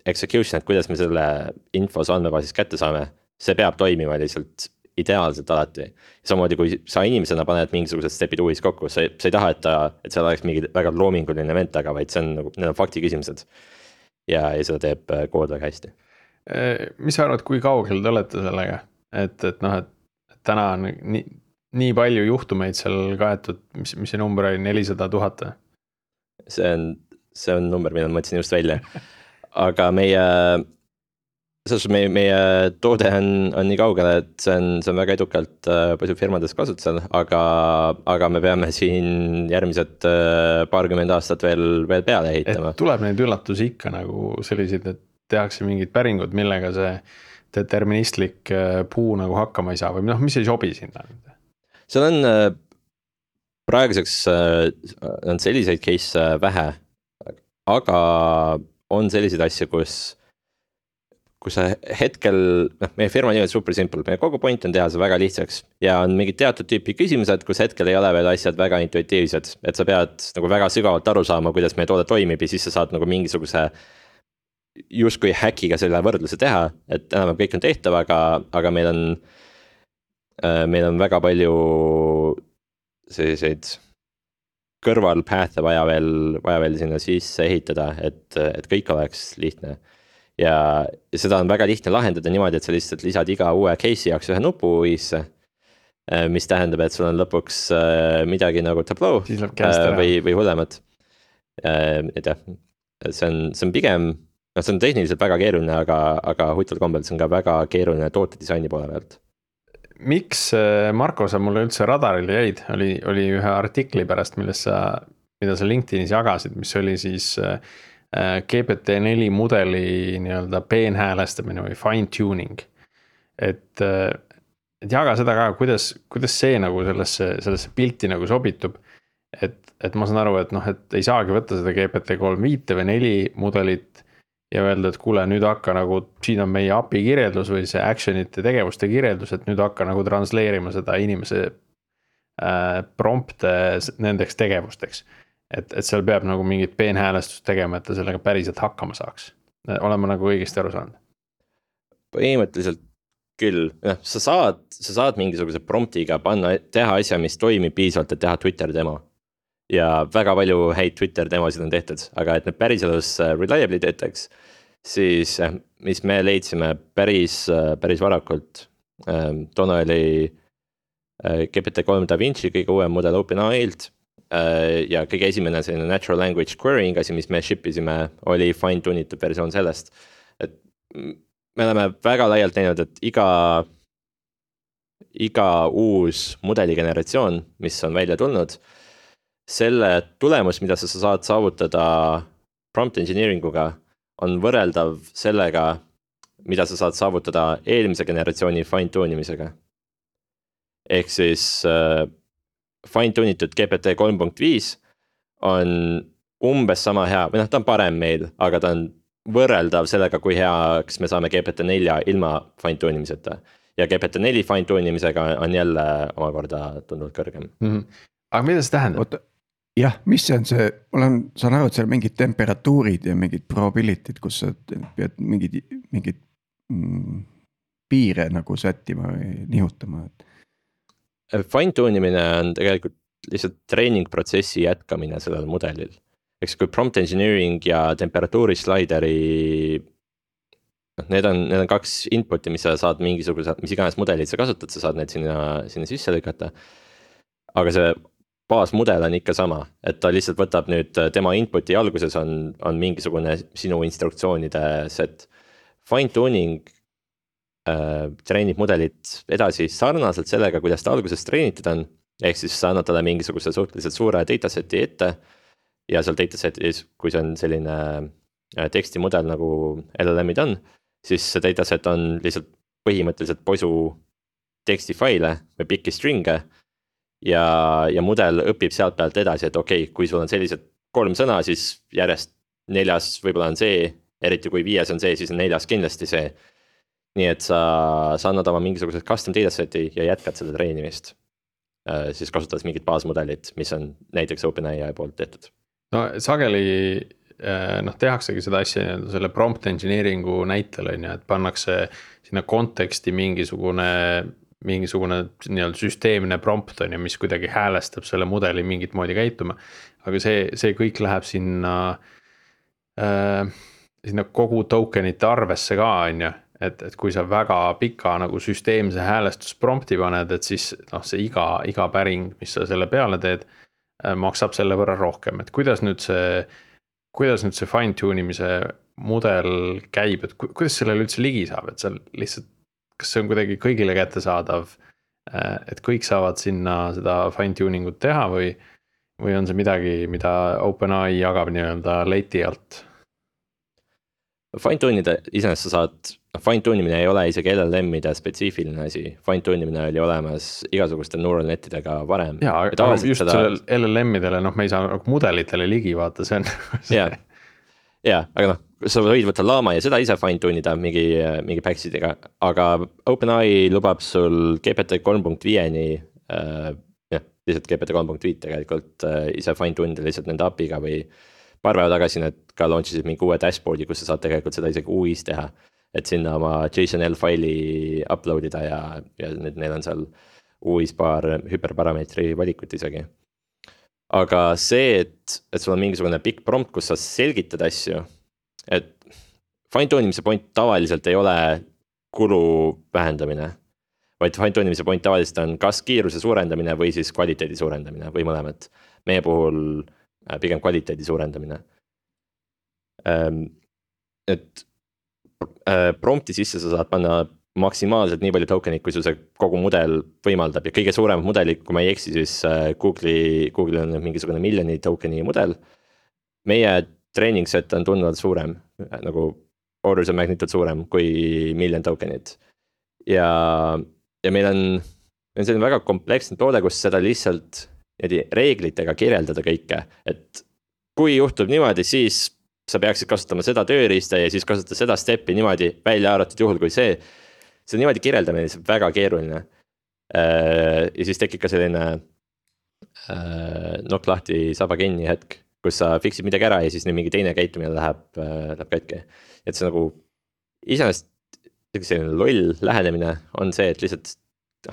execution, et kuidas me selle info andmebaasis kätte saame, see peab toimima lihtsalt ideaalselt alati. Samamoodi kui sa inimesena paned mingisugused stepid uuesti kokku, sa ei taha, et seal oleks mingi väga loominguline event taga, vaid see on nagu, need on fakti küsimused. Ja seda teeb kood väga hästi. Mis sa arvad, kui kaugel te olete sellega? Et täna on nii palju juhtumeid seal kaetud, mis see number oli 400 000? See on number, mida ma mõtlesin just välja. Aga meie toode on nii kaugele, et see on väga edukalt palju firmades kasutusel, aga me peame siin järgmised paarkümmend aastat veel peale ehitama. Et tuleb neid üllatusi ikka nagu selliseid, et tehakse mingid päringud, millega see deterministlik puu nagu hakkama ei saa või mis ei sobi sinna? Seal on praeguseks on selliseid case vähe, aga on selliseid asju, kus hetkel, meie firma nimi on super simple, meie kogu point on teha see väga lihtsaks ja on mingid teatud tüüpi küsimused, kus hetkel ei ole veel asjad väga intuitiivsed, et sa pead nagu väga sügavalt aru saama, kuidas meie toode toimib ja siis sa saad nagu mingisuguse justkui häkiga selle võrdluse teha, et enam kõik on tehtav, aga meil on väga palju selliseid kõrvalpath'e vaja veel sinna sisse ehitada, et kõik oleks lihtne. Ja seda on väga lihtne lahendada niimoodi, et sa lihtsalt lisad iga uue case'i jaoks ühe nupu uisse, mis tähendab, et sul on lõpuks midagi nagu Tableau või hullemat. Et jah, see on pigem, see on tehniliselt väga keeruline, aga huvitaval kombel see on ka väga keeruline tootedisaini poole pealt. Miks, Marko, sa mulle üldse radaril jäid? Oli ühe artikli pärast, mida sa LinkedInis jagasid, mis oli siis GPT-4 mudeli nii-öelda peenhäälestamine või fine tuning. Et jaga seda ka, kuidas see nagu sellesse pilti nagu sobitub. Et ma saan aru, et ei saagi võtta seda GPT-3 5 või 4 mudelit ja öelda, et kuule, nüüd hakka nagu, siin on meie API kirjeldus või see actionite tegevuste kirjeldus, et nüüd hakka nagu transleerima seda inimese prompte nendeks tegevusteks. Et seal peab nagu mingit peenhäälestust tegema, et ta sellega päriselt hakkama saaks. Olen ma nagu õigesti aru saanud? Põhimõtteliselt küll. Sa saad mingisuguse promptiga teha asja, mis toimib piisavalt, et teha Twitter demo. Ja väga palju häid Twitter demosid on tehtud, aga et need päriselus reliably teetaks, siis mis me leidsime päris varakult, toona oli GPT-3 DaVinci kõige uuem mudel OpenAI-lt ja kõige esimene selline natural language querying asi, mis me shipisime, oli fine-tunitud versioon sellest. Et me oleme väga laialt näinud, et iga uus mudeli generatsioon, mis on välja tulnud, selle tulemus, mida sa saad saavutada prompt engineeringuga, on võrreldav sellega, mida sa saad saavutada eelmise generatsiooni fine-tunimisega. Ehk siis fine-tunitud GPT 3.5 on umbes sama hea, või ta on parem meil, aga ta on võrreldav sellega, kui heaks me saame GPT-4 ilma fine-tunimiseta. Ja GPT-4 fine-tunimisega on jälle omakorda tunduvalt kõrgem. Aga mida see tähendab? Jah, mis see on see, saan aru, et seal mingid temperatuurid ja mingid probability'd, kus sa pead mingid piire nagu sättima või nihutama. Fine-tunimine on tegelikult lihtsalt treeningprotsessi jätkamine sellel mudelil. Eks kui prompt engineering ja temperatuuri slideri, need on kaks input'i, mis sa saad mingisuguse, mis iganes mudelid sa kasutad, sa saad need sinna sisse lükata. Aga see baasmudel on ikka sama, et ta lihtsalt võtab nüüd tema input'i alguses on mingisugune sinu instruktsioonide set. Fine-tuning treenib mudelit edasi sarnaselt sellega, kuidas ta alguses treenitud on, ehk siis sa annad talle mingisuguse suhteliselt suure dataseti ette ja seal datasetis, kui see on selline tekstimudel nagu LLM-id on, siis see dataset on lihtsalt põhimõtteliselt posu tekstifaile või pikki string'e ja mudel õpib sealt pealt edasi, et okei, kui sul on sellised 3 sõna, siis järjest 4 võib-olla on see, eriti kui 5 on see, siis on 4 kindlasti see. Nii et sa annad oma mingisugused custom dataseti ja jätkad selle treenimist, siis kasutades mingit baasmudelit, mis on näiteks OpenAI poolt tehtud. No sageli tehaksegi seda asja selle prompt engineering'u näitel on ju, et pannakse sinna konteksti mingisugune nii-öelda süsteemne prompt on ju, mis kuidagi häälestab selle mudeli mingit moodi käituma. Aga see kõik läheb sinna kogu tokenite arvesse ka on ju, et kui sa väga pika nagu süsteemse häälestusprompti paned, et siis see iga päring, mis sa selle peale teed, maksab selle võrra rohkem, et kuidas nüüd see fine tunimise mudel käib, et kuidas sellele üldse ligi saab, et seal lihtsalt, kas see on kuidagi kõigile kättesaadav, et kõik saavad sinna seda fine tuning ut teha või on see midagi, mida OpenAI jagab nii-öelda leti alt? Fine tunida iseenesest sa saad, fine tunimine ei ole isegi LLM-ide spetsiifiline asi, fine tunimine oli olemas igasuguste neural netidega varem. Jaa, aga just sellel LLM-idele, me ei saa mudelitele ligi vaata, see on. Jaa, aga sa võid võtta Llama ja seda ise fine tunida mingi packsidega, aga OpenAI lubab sul GPT 3.5-ni, lihtsalt GPT 3.5 tegelikult ise fine tunida lihtsalt nende API-ga või paar päeva tagasi need ka launchisid mingi uue dashboardi, kus sa saad tegelikult seda isegi UI-s teha, et sinna oma JSON-L faili uploadida ja nüüd neil on seal UI-s paar hüperparameetri valikut isegi. Aga see, et sul on mingisugune pikk prompt, kus sa selgitad asju, et fine tunimise point tavaliselt ei ole kulu vähendamine, vaid fine tunimise point tavaliselt on kas kiiruse suurendamine või siis kvaliteedi suurendamine või mõlemat. Meie puhul pigem kvaliteedi suurendamine. Et prompti sisse sa saad panna maksimaalselt nii palju tokenit, kui sul see kogu mudel võimaldab ja kõige suurem mudelid, kui ma ei eksi, siis Google'il on mingisugune miljoni tokeni mudel. Meie training set on tunduvalt suurem, nagu orders of magnitude suurem kui miljon tokenit. Ja meil on selline väga kompleksne toode, kus seda lihtsalt reeglitega kirjeldada kõike, et kui juhtub niimoodi, siis sa peaksid kasutama seda tööriista ja siis kasutada seda steppi niimoodi välja arvatud juhul, kui see niimoodi kirjeldamine on väga keeruline. Ja siis tekib ka selline nokk lahti saba kinni hetk, kus sa fixid midagi ära ja siis mingi teine käitumine läheb katki. Et see nagu iseenesest selline loll lähenemine on see, et lihtsalt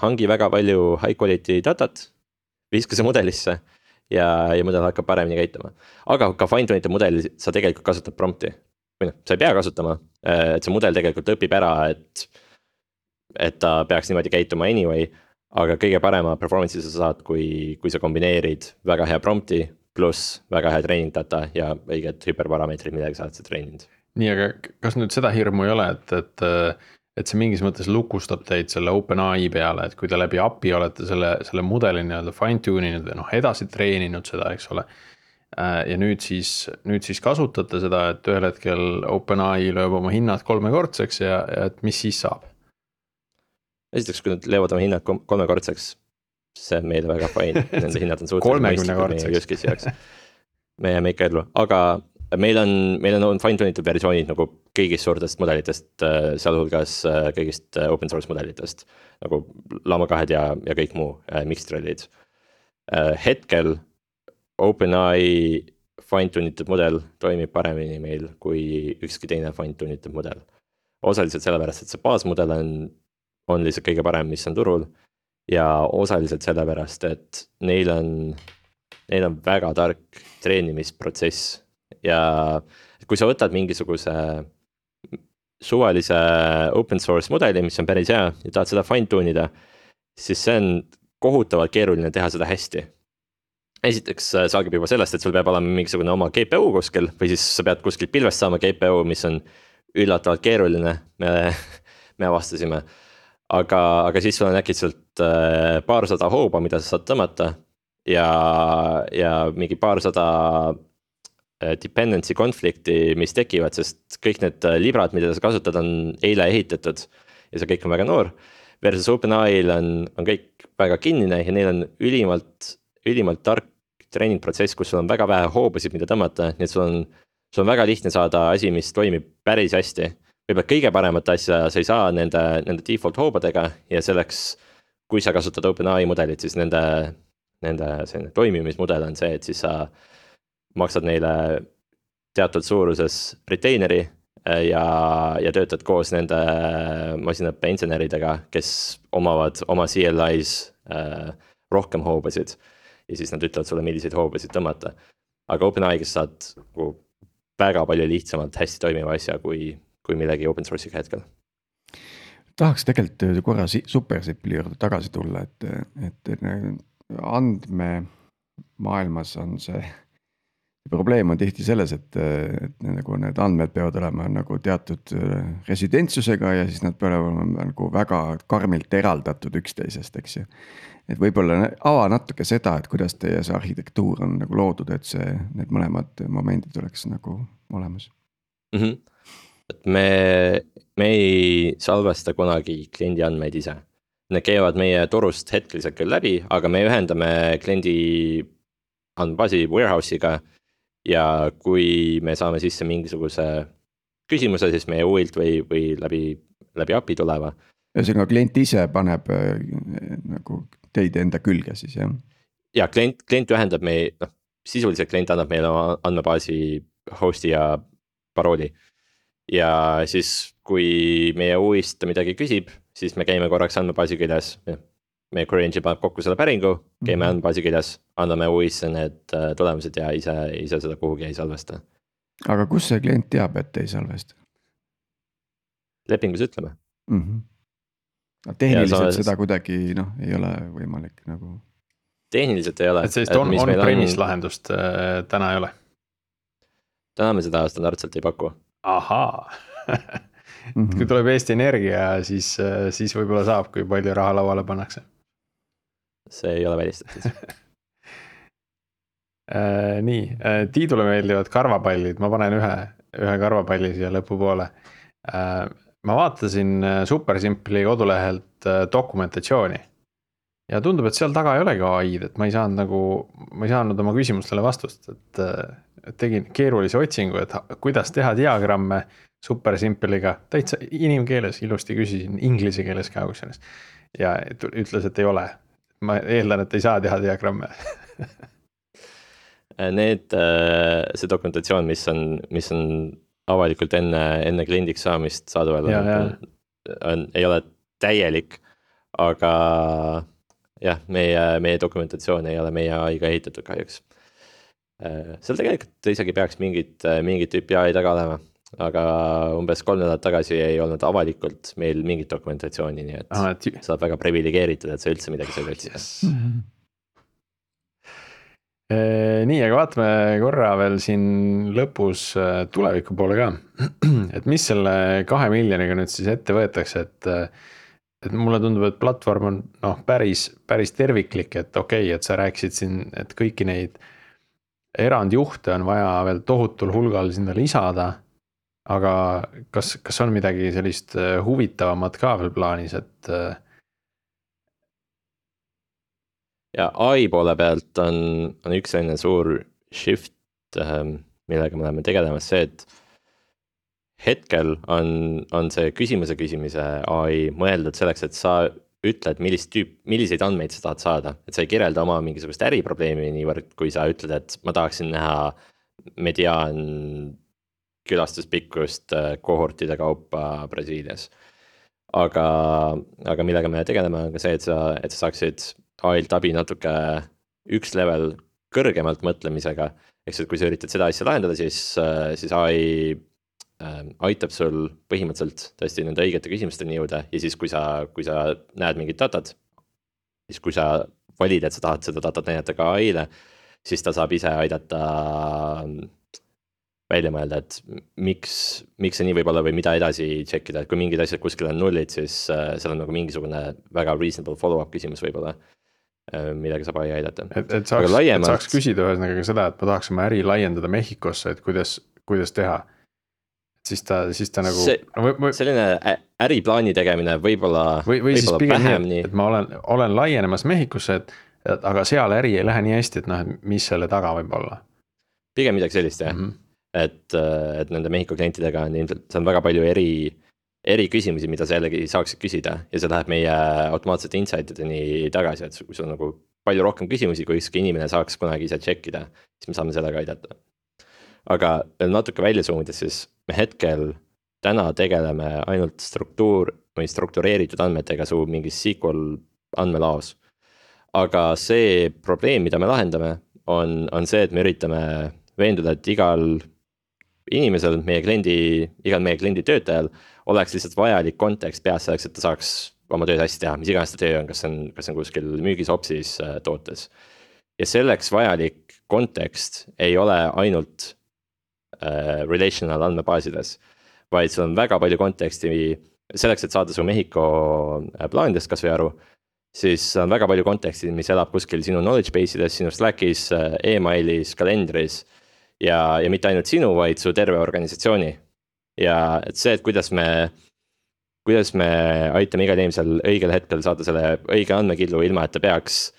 hangi väga palju high quality datat, viska see mudelisse ja mudel hakkab paremini käituma. Aga ka fine tunite mudeli sa tegelikult kasutad prompti. Või sa ei pea kasutama, et see mudel tegelikult õpib ära, et ta peaks niimoodi käituma anyway, aga kõige parema performance'i sa saad, kui sa kombineerid väga hea prompti pluss väga hea training data ja õiged hüperparameetrid, midagi sa oled see treeninud. Nii, aga kas nüüd seda hirmu ei ole, et see mingis mõttes lukustab teid selle OpenAI peale, et kui te läbi API olete selle mudeli nii-öelda fine tuninud ja edasi treeninud seda, eks ole. Ja nüüd siis kasutate seda, et ühel hetkel OpenAI lööb oma hinnad 3-kordseks ja et mis siis saab? Esiteks, kui nad löövad oma hinnad 3-kordseks, see on meile väga fine, nende hinnad on suhteliselt mõistlikud meie ikka ellu, aga meil on fine tunitud versioonid nagu kõigist suurtest mudelitest, sealhulgas kõigist open source mudelitest, nagu Llama 2 ja kõik muu mixed-threadid. Hetkel OpenAI fine tunitud mudel toimib paremini meil kui ükski teine fine tunitud mudel. Osaliselt sellepärast, et see baasmudel on lihtsalt kõige parem, mis on turul ja osaliselt sellepärast, et neil on väga tark treenimisprotsess. Ja kui sa võtad mingisuguse suvalise open source mudeli, mis on päris hea ja tahad seda fine tunida, siis see on kohutavalt keeruline teha seda hästi. Esiteks saagib juba sellest, et sul peab olema mingisugune oma GPU kuskil või siis sa pead kuskil pilvest saama GPU, mis on üllatavalt keeruline, me avastasime. Aga siis sul on äkitselt paarsada hooba, mida sa saad tõmmata ja mingi paarsada dependency konflikti, mis tekivad, sest kõik need librad, mida sa kasutad, on eile ehitatud ja see kõik on väga noor. Versus OpenAI-l on kõik väga kinnine ja neil on ülimalt tark treeningprotsess, kus sul on väga vähe hoobasid, mida tõmmata, nii et sul on väga lihtne saada asi, mis toimib päris hästi. Võib-olla kõige paremat asja sa ei saa nende default hoobadega ja selleks, kui sa kasutad OpenAI mudelit, siis nende selline toimimismudel on see, et siis sa maksad neile teatud suuruses retaineri ja töötad koos nende masinaõppe inseneridega, kes omavad oma CLI-s rohkem hoobasid ja siis nad ütlevad sulle, milliseid hoobasid tõmmata. Aga OpenAI-s saad väga palju lihtsamalt hästi toimiva asja kui millegi open source'iga hetkel. Tahaks tegelikult korra SuperSimpli juurde tagasi tulla, et andmemaailmas on see probleem on tihti selles, et nagu need andmed peavad olema nagu teatud residentsusega ja siis nad peavad olema nagu väga karmilt eraldatud üksteisest, eks ju. Et võib-olla ava natuke seda, et kuidas teie see arhitektuur on nagu loodud, et need mõlemad momendid oleks nagu olemas. Et me ei salvesta kunagi kliendi andmeid ise. Need käivad meie torust hetkeliselt küll läbi, aga me ühendame kliendi andmebaasi warehouse'iga. Ja kui me saame sisse mingisuguse küsimuse, siis meie UIlt või läbi API tuleva. Ühesõnaga klient ise paneb nagu teid enda külge siis, jah? Ja klient ühendab sisuliselt klient annab meile andmebaasi host'i ja parooli. Ja siis kui meie UIst midagi küsib, siis me käime korraks andmebaasi küljes. Meie query engine paneb kokku selle päringu, käime andmebaasi küljes, anname UIsse need tulemused ja ise seda kuhugi ei salvesta. Aga kus see klient teab, et ei salvesta? Lepingus ütleme. Tehniliselt seda kuidagi ei ole võimalik nagu. Tehniliselt ei ole. Et sellist on-premise lahendust täna ei ole? Täna me seda standardselt ei paku. Ahaa. Kui tuleb Eesti Energia, siis võib-olla saab, kui palju raha lauale pannakse. See ei ole välistatud. Nii, Tiidule meeldivad karvapallid, ma panen ühe karvapalli siia lõpupoole. Ma vaatasin SuperSimpli kodulehelt dokumentatsiooni ja tundub, et seal taga ei olegi AI-d, et ma ei saanud oma küsimustele vastust, et tegin keerulise otsingu, et kuidas teha diagramme SuperSimpliga, täitsa inimkeeles ilusti küsisin, inglise keeles ka kusjuures ja ütles, et ei ole. Ma eeldan, et ei saa teha diagramme. See dokumentatsioon, mis on avalikult enne kliendiks saamist saadaval, ei ole täielik, aga jah, meie dokumentatsioon ei ole meie AI-ga ehitatud kahjuks. Seal tegelikult isegi peaks mingit tüüpi AI taga olema, aga umbes 3 nädalat tagasi ei olnud avalikult meil mingit dokumentatsiooni, nii et sa oled väga privilegeeritud, et sa üldse midagi seal üldse. Nii, aga vaatame korra veel siin lõpus tuleviku poole ka, et mis selle 2 miljoniga nüüd siis ette võetakse, et mulle tundub, et platvorm on päris terviklik, et okei, et sa rääkisid siin, et kõiki neid erandjuhte on vaja veel tohutul hulgal sinna lisada, aga kas on midagi sellist huvitavamat ka veel plaanis, et ja AI poole pealt on üks selline suur shift, millega me oleme tegelemas see, et hetkel on see küsimuse AI mõeldud selleks, et sa ütled, milliseid andmeid sa tahad saada, et sa ei kirjelda oma mingisugust äriprobleemi niivõrd, kui sa ütled, et ma tahaksin näha mediaan külastuspikkust kohortide kaupa Brasiilias. Aga millega me tegeleme, on ka see, et sa saaksid AI-lt abi natuke üks level kõrgemalt mõtlemisega. Eks kui sa üritad seda asja lahendada, siis AI aitab sul põhimõtteliselt tõesti nende õigete küsimusteni jõuda ja siis kui sa näed mingit datat, siis kui sa valid, et sa tahad seda datat näidata ka AI-le, siis ta saab ise aidata välja mõelda, et miks see nii võib olla või mida edasi tšekkida, et kui mingid asjad kuskil on nullid, siis seal on nagu mingisugune väga reasonable follow-up küsimus võib-olla. millega saab AI aidata. et saaks küsida ühesõnaga ka seda, et ma tahaks oma äri laiendada Mehhikosse, et kuidas teha. Siis ta nagu selline äriplaani tegemine võib-olla siis pigem nii, et ma olen laienemas Mehhikosse, aga seal äri ei lähe nii hästi, et noh, mis selle taga võib olla. Pigem midagi sellist jah, et nende Mehhiko klientidega on ilmselt, see on väga palju eri küsimusi, mida sa jällegi saaksid küsida ja see läheb meie automaatsete insightideni tagasi, et kui sul on nagu palju rohkem küsimusi, kui ükski inimene saaks kunagi ise tšekkida, siis me saame sellega aidata. Aga veel natuke välja zoomides, siis me hetkel täna tegeleme ainult struktureeritud andmetega su mingis SQL andmelaos. Aga see probleem, mida me lahendame, on see, et me üritame veenduda, et igal inimesel, igal meie kliendi töötajal oleks lihtsalt vajalik kontekst peas selleks, et ta saaks oma tööd hästi teha, mis iganes ta töö on, kas on kuskil müügis, opsis, tootes. Ja selleks vajalik kontekst ei ole ainult relational andmebaasides, vaid sul on väga palju konteksti selleks, et saada su Mehhiko plaanidest kas või aru, siis on väga palju konteksti, mis elab kuskil sinu knowledge base'ides, sinu Slackis, emailis, kalendris ja mitte ainult sinu, vaid su terve organisatsiooni. Ja et see, et kuidas me aitame igal inimesel õigel hetkel saada selle õige andmekillu, ilma et ta peaks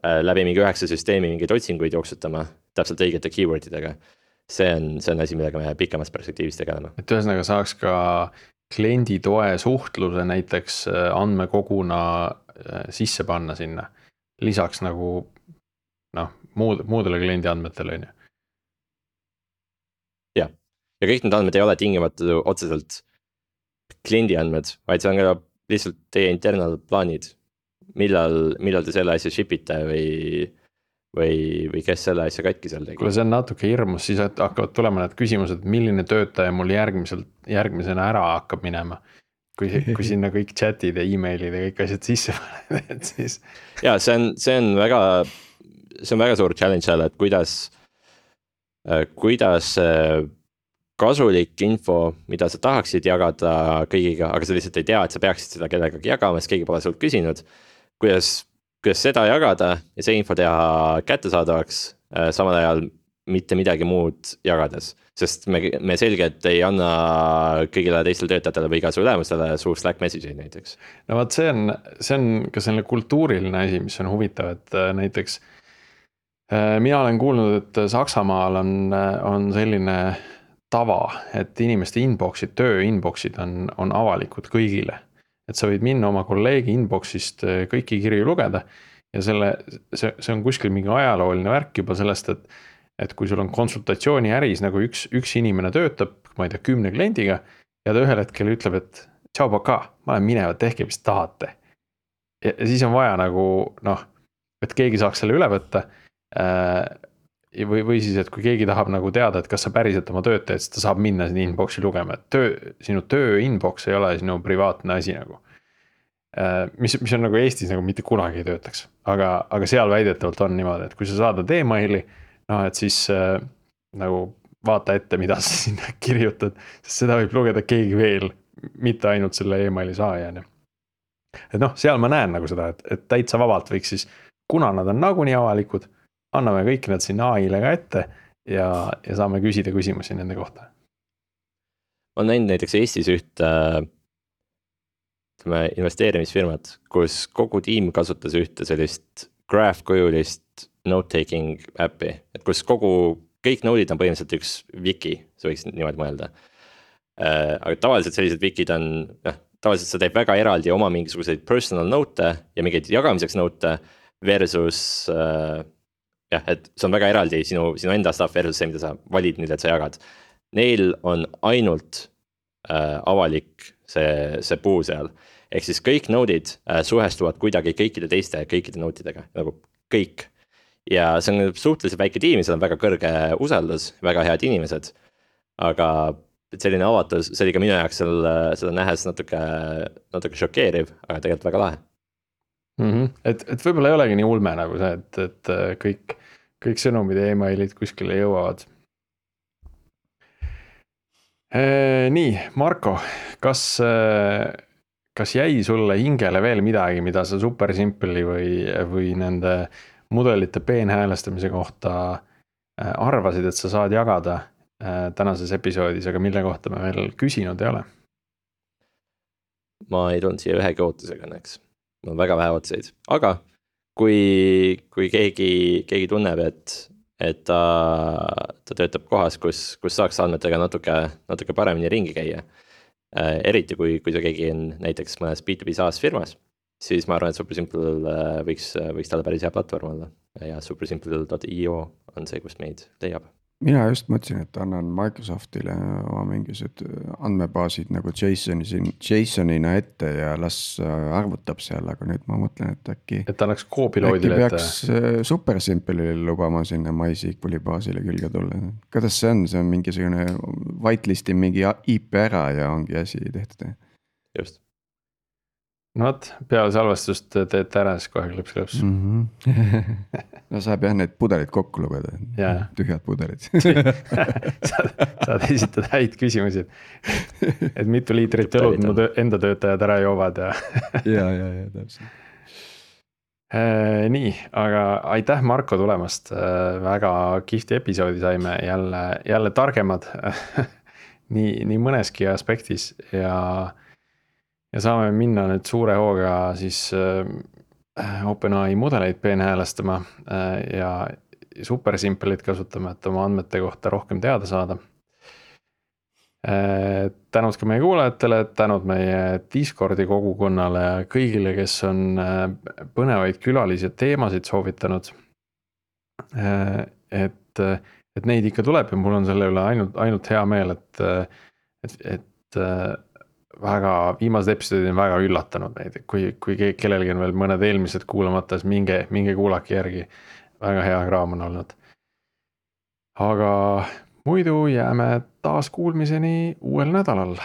läbi mingi 9 süsteemi mingeid otsinguid jooksutama täpselt õigete keywordidega. See on asi, millega me pikemas perspektiivis tegeleme. Et ühesõnaga saaks ka kliendi toe suhtluse näiteks andmekoguna sisse panna sinna. Lisaks nagu muudele kliendi andmetele on ju. Ja kõik need andmed ei ole tingimata otseselt kliendi andmed, vaid see on ka lihtsalt teie internal plaanid. Millal te selle asja shipite või kes selle asja katki seal tegi. Kuule, see on natuke hirmus, siis hakkavad tulema need küsimused, milline töötaja mul järgmisena ära hakkab minema. Kui sinna kõik chatid ja emailid ja kõik asjad sisse paned, et siis. Ja see on väga suur challenge seal, et kuidas kasulik info, mida sa tahaksid jagada kõigiga, aga sa lihtsalt ei tea, et sa peaksid seda kellegagi jagama, sest keegi pole sult küsinud. Kuidas seda jagada ja see info teha kättesaadavaks, samal ajal mitte midagi muud jagades. Sest me selgelt ei anna kõigile teistele töötajatele või iga su ülemustele suur Slack message'id näiteks. No vaat see on ka selline kultuuriline asi, mis on huvitav, et näiteks mina olen kuulnud, et Saksamaal on selline tava, et inimeste inboxid, töö inboxid on avalikud kõigile. Et sa võid minna oma kolleegi inboxist kõiki kirju lugeda ja see on kuskil mingi ajalooline värk juba sellest, et kui sul on konsultatsiooni äris nagu üks inimene töötab, ma ei tea, 10 kliendiga ja ta ühel hetkel ütleb, et tšau paka, ma olen minevad, tehke mis tahate. Ja siis on vaja nagu et keegi saaks selle üle võtta või siis, et kui keegi tahab nagu teada, et kas sa päriselt oma tööd teed, siis ta saab minna sinna inboxi lugema, et sinu töö inbox ei ole sinu privaatne asi nagu. Mis on nagu Eestis nagu mitte kunagi ei töötaks, aga seal väidetavalt on niimoodi, et kui sa saadad emaili, et siis nagu vaata ette, mida sa sinna kirjutad, sest seda võib lugeda keegi veel, mitte ainult selle emaili saajana. Et seal ma näen nagu seda, et täitsa vabalt võiks siis, kuna nad on nagunii avalikud, anname kõik need sinna AI-le ka ette ja saame küsida küsimusi nende kohta. On näinud näiteks Eestis investeerimisfirmat, kus kogu tiim kasutas ühte sellist graph-kujulist note-taking äppi, et kus kõik node'id on põhimõtteliselt üks wiki, sa võiks niimoodi mõelda. Aga tavaliselt sellised wikid tavaliselt sa teeb väga eraldi oma mingisuguseid personal note ja mingeid jagamiseks note versus et see on väga eraldi sinu enda stuff versus see, mida sa valid nüüd, et sa jagad. Neil on ainult avalik see puu seal. Ehk siis kõik node'id suhestuvad kuidagi kõikide note'idega, nagu kõik. Ja see on suhteliselt väike tiim, seal on väga kõrge usaldus, väga head inimesed. Aga selline avatus, see oli ka minu jaoks seda nähes natuke šokeeriv, aga tegelikult väga lahe. Et võib-olla ei olegi nii ulme nagu see, et kõik sõnumid ja emailid kuskile jõuavad. Nii, Marko, kas kas jäi sulle hingele veel midagi, mida sa Super Simple'i või nende mudelite peenhäälestamise kohta arvasid, et sa saad jagada tänases episoodis, aga mille kohta me veel küsinud ei ole? Ma ei tulnud siia ühegi ootusega õnneks. Mul on väga vähe ootuseid, aga kui keegi tunneb, et ta töötab kohas, kus saaks andmetega natuke paremini ringi käia, eriti kui see keegi on näiteks mõnes B2B SaaS firmas, siis ma arvan, et SuperSimple võiks talle päris hea platvorm olla ja supersimple.io on see, kust meid leiab. Mina just mõtlesin, et annan Microsoftile oma mingisugused andmebaasid nagu JSONina ette ja las arvutab seal, aga nüüd ma mõtlen, et äkki annaks Copiloadile ette. Peaks SuperSimple'ile lubama sinna MySQL'i baasile külge tulla. Kuidas see on? See on mingisugune whitelisting mingi IP ära ja ongi asi tehtud. Just. No vot, peale salvestust teete ära, siis kohe klõps. No saab jah need pudelid kokku lugeda, tühjad pudelid. saad esitada häid küsimusi, et mitu liitrit õlut mu enda töötajad ära joovad ja täpselt. Nii, aga aitäh Marko tulemast, väga kihvti episoodi saime, jälle targemad nii mõneski aspektis ja saame minna nüüd suure hooga siis OpenAI mudeleid peenhäälestama ja SuperSimple'it kasutama, et oma andmete kohta rohkem teada saada. Tänud ka meie kuulajatele, tänud meie Discordi kogukonnale ja kõigile, kes on põnevaid külalisi ja teemasid soovitanud. Et neid ikka tuleb ja mul on selle üle ainult hea meel, et väga viimased episoodid on väga üllatanud neid, kui kellelgi on veel mõned eelmised kuulamata, siis minge kuulake järgi, väga hea kraam on olnud. Aga muidu jääme taas kuulmiseni uuel nädalal.